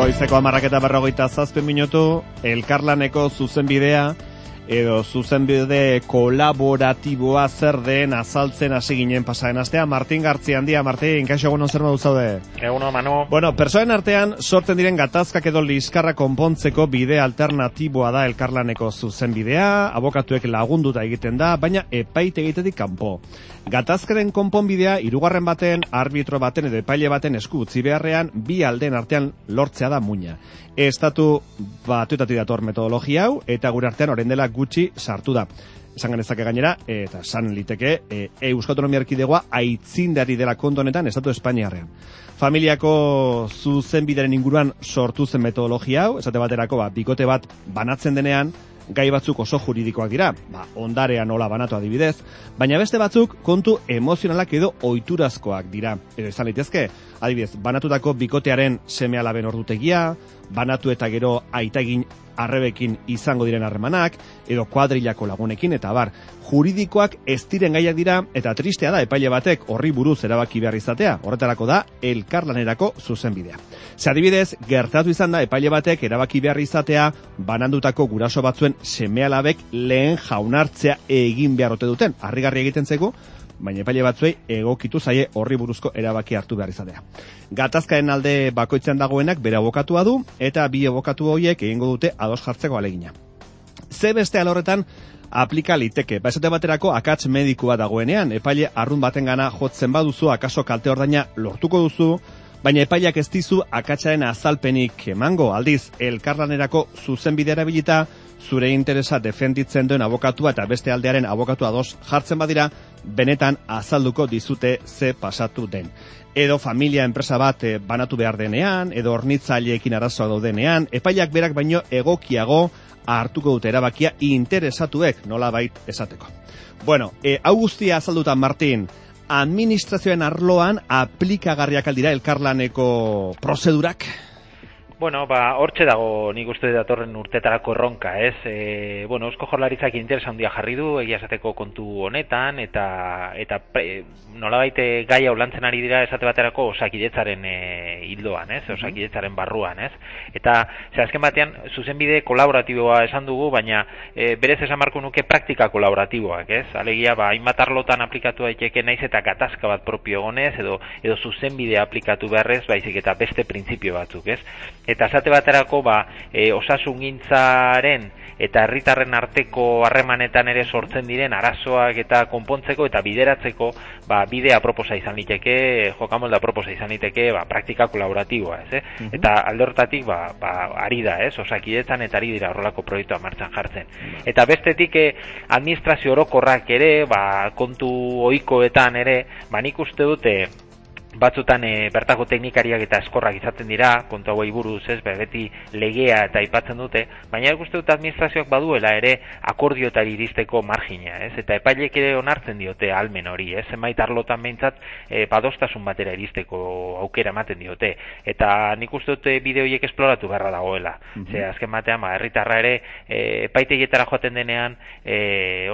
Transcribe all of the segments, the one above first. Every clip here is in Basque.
Goizeko 10:47 elkarlaneko zuzenbidea edo zuzenbide kolaboratiboa zer den azaltzen hasi ginen pasaren astea. Martin Gartzia handia, Martin, kaixo egunon zer modu zaude? Egunon, Manu. Bueno, pertsonen artean sortzen diren gatazkak edo liskarra konpontzeko bide alternatiboa da elkarlaneko zuzenbidea, abokatuek lagunduta egiten da, baina epaitegitetik kanpo. Gatazkaren konponbidea hirugarren baten, arbitro baten edo epaile baten esku utzi beharrean bi aldeen artean lortzea da muina. Estatu batuetatik dator metodologia hau eta gure artean orain dela gutxi sartu da. Esan genezake gainera, eta esan liteke, Euskal Autonomia Erkidegoa aitzindari dela kontu honetan Estatu Espainiarrean. Familiako zuzenbideren inguruan sortu zen metodologia hau, esate baterako bikote bat banatzen denean, gai batzuk oso juridikoak dira, ondarea nola banatu adibidez, baina beste batzuk kontu emozionalak edo ohiturazkoak dira. Edo izan litezke, adibidez, banatutako bikotearen seme-alaben ordutegia, banatu eta gero aitagin arrebekin izango diren harremanak, edo kuadrilako lagunekin, eta bar, juridikoak ez diren gaiak dira, eta tristea da epaile batek horri buruz erabaki behar izatea, horretarako da elkarlanerako zuzenbidea. Ze adibidez, gertatu izan da epaile batek erabaki behar izatea, banandutako guraso batzuen seme-alabek lehen jaunartzea egin behar ote duten, harrigarri egiten zego, baina epaile batzuei egokitu zaie horri buruzko erabaki hartu behar izatea. Gatazkaen alde bakoitzean dagoenak bere abokatua du, eta bi abokatu horiek egingo dute ados jartzeko alegina. Ze beste alorretan aplika liteke, esate baterako akats medikua dagoenean, epaile arrun batengana jotzen baduzu, akaso kalte ordaina lortuko duzu, baina epaileak ez dizu akatsaren azalpenik emango, aldiz elkarlanerako zuzenbidea erabilita, zure interesa defenditzen duen abokatua eta beste aldearen abokatua ados jartzen badira, benetan azalduko dizute ze pasatu den. Edo familia enpresa bat banatu behar denean, edo hornitzaileekin arazoa daudenean, epaileak berak baino egokiago hartuko dute erabakia interesatuek nolabait esateko. Bueno, hau guztia azalduta, Martin, administrazioen arloan aplikagarriak aldira elkarlaneko prozedurak? Bueno, hortxe dago nik uste datorren urtetarako erronka, ez? Eusko Jaurlaritzak interesa handia jarri du, egia esateko kontu honetan, eta nolabait gai hau lantzen ari dira esate baterako osakidetzaren hildoan, ez? Osakidetzaren barruan, ez? Eta, azken batean, zuzenbide kolaboratiboa esan dugu, baina berez esan marko nuke praktika kolaboratiboak, ez? Alegia, hainbat arlotan aplikatu daiteke naiz eta gatazka bat propio egonez, edo zuzenbide aplikatu beharrez, baizik eta beste printzipio batzuk, ez? Eta esate baterako osasungintzaren eta herritarren arteko harremanetan ere sortzen diren arazoak eta konpontzeko eta bideratzeko bidea proposa izan liteke, jokamolda proposa izan liteke praktika kolaboratiboa, ez? Eta alde horretatik ari da, ez? Osakidetzan eta ari dira horrelako proiektua martxan jartzen. Eta bestetik administrazio orokorrak ere, kontu ohikoetan ere, nik uste dute batzutan bertako teknikariak eta eskorrak izaten dira, kontu hauei buruz, ez, beti legea eta aipatzen dute, baina ikuste dut administrazioak baduela ere akordiotari iristeko margina, ez, eta epaileek ere onartzen diote almen hori, ez, zenbait arlotan behintzat badostasun batera iristeko aukera ematen diote, eta nik uste dut bide horiek esploratu beharra dagoela, ze azken batean, herritarra ere epaitegietara joaten denean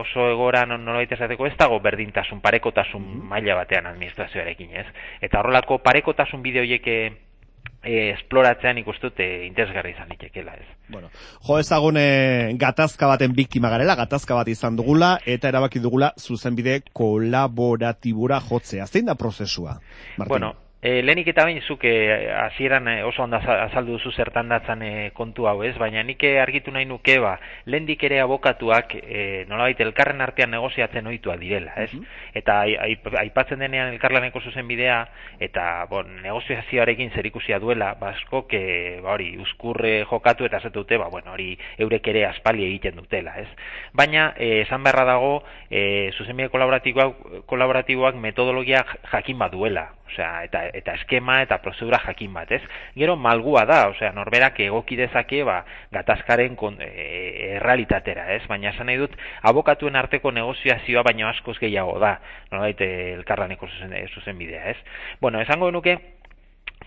oso egoran nolabait esateko ez dago berdintasun, parekotasun maila batean administrazioarekin, ez, eta horrelako parekotasun bide horiek esploratzean ikustut interesgarri izan litekela, ez. Bueno, jo ezagun gatazka baten biktima garela, gatazka bat izan dugula, eta erabaki dugula zuzenbide kolaboratibura jotzea. Zein da prozesua, Martin? Bueno, lehenik eta bain zuk hasieran oso ondo azaldu duzu zertan datzan kontu hau, ez? Baina nik argitu nahi nuke lehendik ere abokatuak nolabait elkarren artean negoziatzen ohituak direla, ez? Eta aipatzen denean elkarlaneko zuzenbidea eta negoziazioarekin zerikusia duela, askok hori uzkurre jokatu eta esate dute, hori eurek ere aspaldi egiten dutela, ez? Baina esan beharra dago zuzenbide kolaboratiboak metodologia jakin bat duela, osea, eta eskema eta prozedura jakin bat, ez? Gero malgua da, osea, norberak egoki dezake gatazkaren errealitatera, ez? Baina esan nahi dut abokatuen arteko negoziazioa baino askoz gehiago da, nolabait elkarlaneko zuzenbidea, ez? Bueno, esango nuke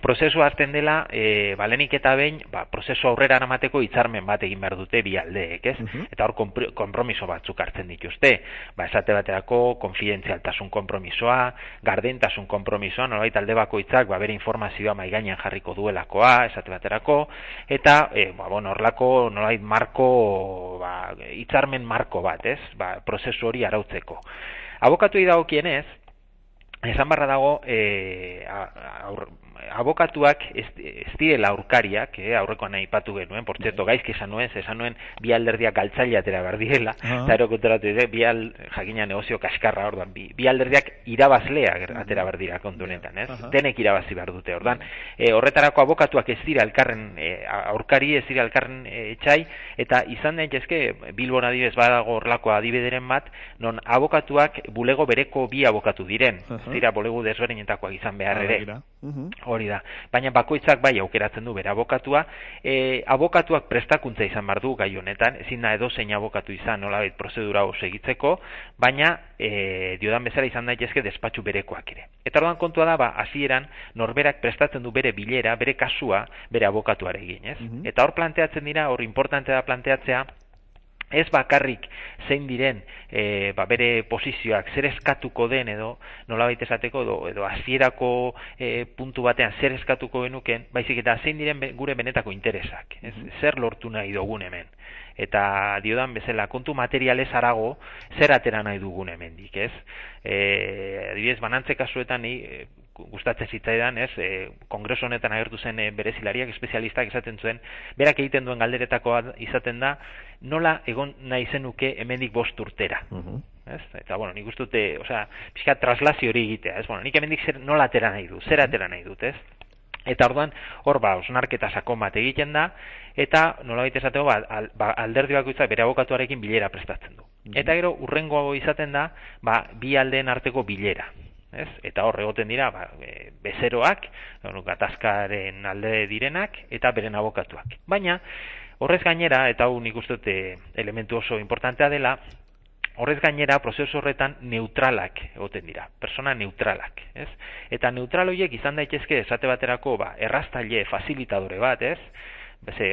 prozesu hasten dela, lehenik eta behin, prozesu aurrera eramateko hitzarmen bat egin behar dute bi aldeek, ez? Eta hor konpromiso batzuk hartzen dituzte. Esate baterako, konfidentzialtasun konpromisoa, gardentasun konpromisoa, nolabait alde bakoitzak bere informazioa mahai gainean jarriko duelakoa, esate baterako, eta horrelako nolabait marko, hitzarmen marko bat, ez? Prozesu hori arautzeko. Abokatuei dagokienez, esan barra dago, abokatuak ez direla aurkariak, aurrekoan aipatu genuen, por cierto, gaizki esan nuen bi alderdiak galtzaile atera behar direla, eta erokontratu jakina negozio kaskarra, ordan, bi alderdiak irabazleak atera behar dira kontu honetan, ez? Denek irabazi behar dute, ordan. Horretarako abokatuak ez dira elkarren aurkari, ez dira elkarren etxai, eta izan daitezke Bilbon adibidez badago horrelako adibideren bat, non abokatuak bulego bereko bi abokatu diren, ez dira bulego desberdinetakoak izan behar ere. Hori da. Baina bakoitzak bai aukeratzen du bere abokatua. Abokatuak prestakuntza izan behar du gai honetan, ezin da edozein abokatu izan nolabait prozedura hau segitzeko, baina diodan bezala izan daitezke despatxu berekoak ere. Eta orduan kontua da, hasieran norberak prestatzen du bere bilera, bere kasua, bere abokatuarekin, ez? Eta hor planteatzen dira, hor importante da planteatzea, ez bakarrik zein diren bere posizioak zer eskatuko den edo nolabait esateko edo hasierako puntu batean zer eskatuko genuken, baizik eta zein diren gure benetako interesak, zer lortu nahi dugun hemen. Eta diodan bezala kontu materialez harago zer atera nahi dugun hemendik, ez? Adibidez, banantze kasuetan gustatzen zitzaidan, ez? Kongreso honetan agertu zen berezilariak, espezialistak esaten zuen, berak egiten duen galderetakoa izaten da, nola egon nahi zenuke hemendik 5 urtera. Ez? Eta, nik uste dute, pixka traslazio hori egitea, ez? Nik hemendik nola atera nahi dut, zer atera nahi dut, ez? Eta orduan, hor osnarketa sakon bat egiten da, eta nolabait esateko, alderdi bakoitzak bere abokatuarekin bilera prestatzen du. Eta gero, urrengo izaten da, bi aldeen arteko bilera. Ez? Eta hor egoten dira bezeroak, gatazkaren alde direnak eta beren abokatuak. Baina horrez gainera, eta hau nik uste dute elementu oso importantea dela, horrez gainera prozesu horretan neutralak egoten dira, persona neutralak, ez? Eta neutral horiek izan daitezke esate baterako erraztaile fasilitadore bat, ez?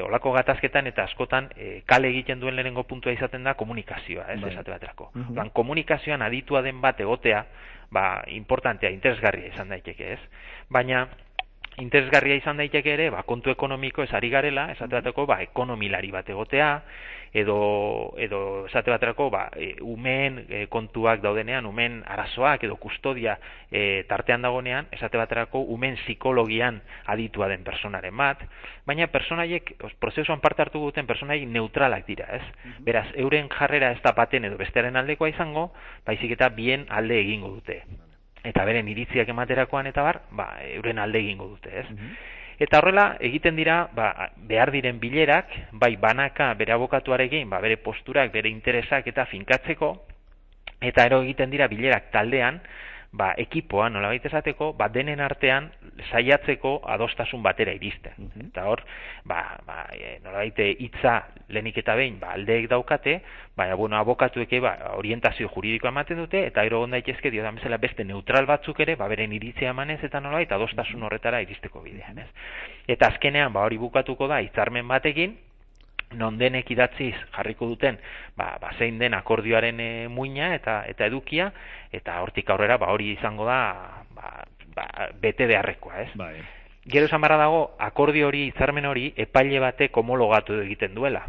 Olako gatazketan eta askotan kale egiten duen lehenengo puntua izaten da komunikazioa, ez? Esate baterako. Komunikazioan aditua den bat egotea, importantea, interesgarria izan daiteke, ez? Baina interesgarria izan daiteke ere, kontu ekonomiko ez ari garela, esate baterako, ekonomilari bat egotea, edo esate baterako, umeen kontuak daudenean, umeen arazoak edo kustodia tartean dagonean, esate baterako, umeen psikologian aditua den personaren bat, baina personaiek, prozesuan parte hartu duten personaiek neutralak dira, ez? Beraz, euren jarrera ez da baten edo bestearen aldekoa izango, baizik eta bien alde egingo dute. Eta beren iritziak ematerakoan eta euren alde egingo dute, ez? Eta horrela, egiten dira, behar diren bilerak, banaka bere abokatuarekin, bere posturak, bere interesak eta finkatzeko, eta ero egiten dira bilerak taldean, ekipoa, nolabait esateko, denen artean saiatzeko adostasun batera iristen. Eta hor, nolabait hitza lehenik eta behin, aldeek daukate, abokatuek orientazio juridikoa ematen dute, eta ero daitezke diodan bezala beste neutral batzuk ere, beren iritzia emanez eta nolabait adostasun horretara iristeko bidean, ez? Eta azkenean, hori bukatuko da hitzarmen batekin, non denek idatziz jarriko duten zein den akordioaren muina eta edukia, eta hortik aurrera hori izango da bete beharrekoa, ez? Gero esan barra dago, akordio hori, hitzarmen hori, epaile batek homologatu egiten duela.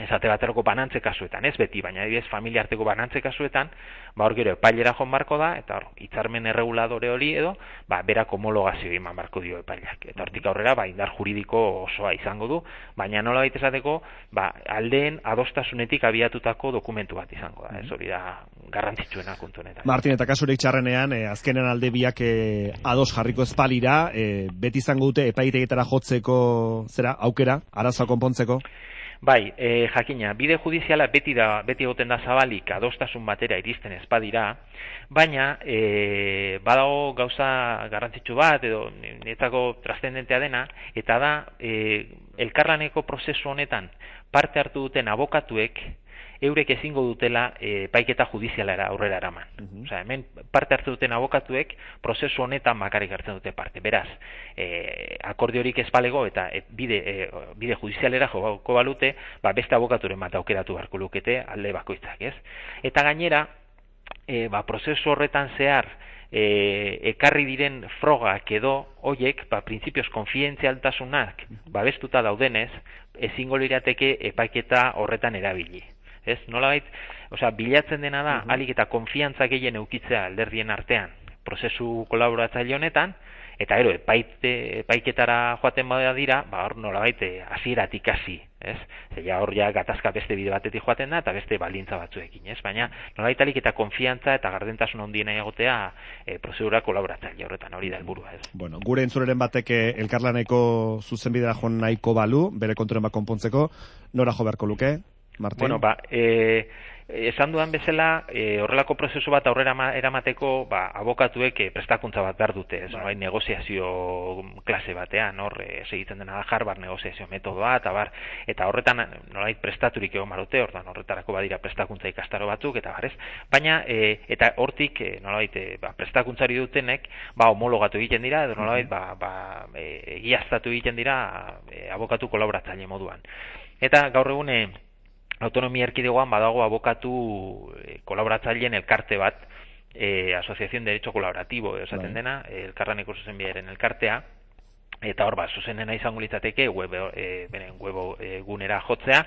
Esate baterako banantze kasuetan, ez beti, baina adibidez familia arteko banantze kasuetan, hor gero epailera joan barko da, eta hor hitzarmen erreguladore hori edo, berak homologazio eman barko dio epaileak. Eta hortik aurrera, indar juridiko osoa izango du, baina nola baita esateko, aldeen adostasunetik abiatutako dokumentu bat izango da, ez hori da garrantzitsuena kontu honetan. Martin, eta kasurik txarrenean, azkenen alde biak ados jarriko espalira, beti izango dute epaitegietara jotzeko aukera, arazoa konpontzeko? Jakina, bide judiziala beti egoten da zabalik adostasun batera iristen ez badira, baina badago gauza garrantzitsu bat edo netako trascendentea dena, eta da elkarlaneko prozesu honetan parte hartu duten abokatuek eurek ezingo dutela epaiketa judizialera aurrera eraman. Osea, hemen parte hartzen duten abokatuek prozesu honetan bakarrik hartzen dute parte. Beraz, akordiorik ez balego eta bide judizialera joko balute, beste abokaturen bat aukeratu beharko lukete alde bakoitzak, ez? Eta gainera, prozesu horretan zehar ekarri diren frogak edo hoiek, printzipioz konfidentzialtasunak babestuta daudenez, ezingo lirateke epaiketa horretan erabili. Ez? Nolabait, bilatzen dena da, alik eta konfiantza gehien eukitzea alderdien artean, prozesu kolaboratzaile honetan, eta gero, epaiketara joaten bada dira, hor nolabait hasieratik hasi, ez? Hor gatazka beste bide batetik joaten da, eta beste baldintza batzuekin, ez? Baina nolabait alik eta konfiantza eta gardentasun handiena egotea prozedura kolaboratzaile horretan, hori da helburua, ez? Bueno, gure entzuleren batek elkarlaneko zuzenbidera joan nahiko balu, bere konturen bat konpontzeko, nora jo beharko luke, Martin? Bueno, esan dudan bezala, horrelako prozesu bat aurrera eramateko, abokatuek prestakuntza bat behar dute, ez? Negoziazio klase batean, hor segitzen dena da Harvard negoziazio metodoa, eta horretan nolait prestaturik egon barute, horretarako badira prestakuntza ikastaro batzuk, eta barez, baina, eta hortik, nolait, prestakuntzari dutenek, homologatu egiten dira, edo nolait, egiaztatu egiten dira abokatu kolaboratzaile moduan. Eta gaur egun, autonomia erkidegoan badago abokatu kolaboratzaileen elkarte bat, Asociación de Derecho Colaborativo, esaten dena, elkarlaneko zuzenbidearen elkartea, eta hor zuzenena izango litzateke beren webgunera jotzea,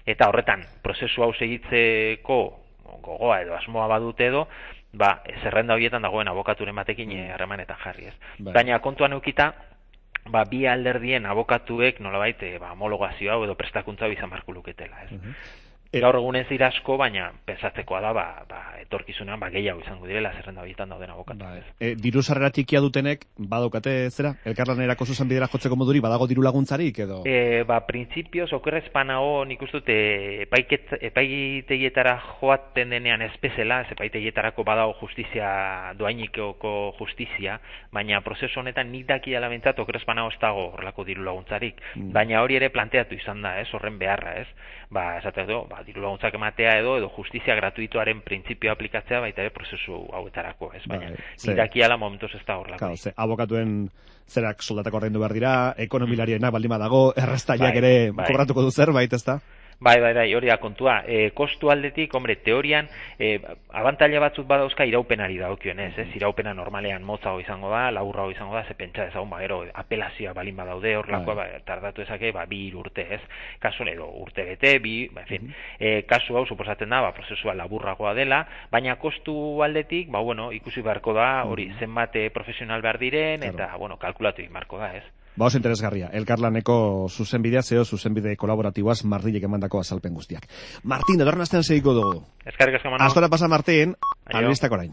eta horretan prozesu hau segitzeko gogoa edo asmoa badute edo, zerrenda horietan dagoen abokaturen batekin harremanetan jarri, ez. Baina kontuan eukita, bi alderdien abokatuek nolabait homologazio hau edo prestakuntza hau izan beharko luketela, ez? Gaur egun ez dira asko, baina pensatzekoa da etorkizunean gehiago izango direla zerrenda horietan dauden abokatu. Diru sarrera txikia dutenek badaukate zera? Elkarlanerako zuzenbidera jotzeko moduri badago diru laguntzarik edo? Printzipioz okerrezpanago nik uste dut epaitegietara joaten denean ez bezala, epaitegietarako badago justizia, doainikoko justizia, baina prozesu honetan nik daki alabentzat okerrezpanago ez dago horrelako diru laguntzarik, baina hori ere planteatu izan da, horren beharra, ez? Esate edo, diru laguntzak ematea edo justizia gratuitoaren printzipioa aplikatzea baita ere prozesu hauetarako, ez? Baina dakiala momentuz ez da horrelako. Abokatuen zerak soldatako ordaindu behar dira, ekonomilarienak baldin badago, errestaiak ere kobratuko du zerbait, ez da? Bai, hori da kontua. Kostu aldetik, teorian, abantaila batzuk badauzka iraupenari dagokionez, ez? Iraupena normalean motzago izango da, laburrago izango da, ze pentsa ezagun, gero, apelazioa balin badaude, horlakoa, tardatu ezake, 2 urte, ez? Kasu, edo, urte bete, kasu hau, suposatzen da, prozesua laburragoa dela, baina kostu aldetik, ikusi beharko da, hori, zenbat profesional behar diren, eta, kalkulatu egin beharko da, ez? Oso interesgarria, elkarlaneko zuzenbidea, zuzenbide kolaboratiboaz Martinek emandako azalpen guztiak. Martin, edorren astean segiko dugu. Eskerrik asko, Manu. Astora pasa, Martin, albistak orain.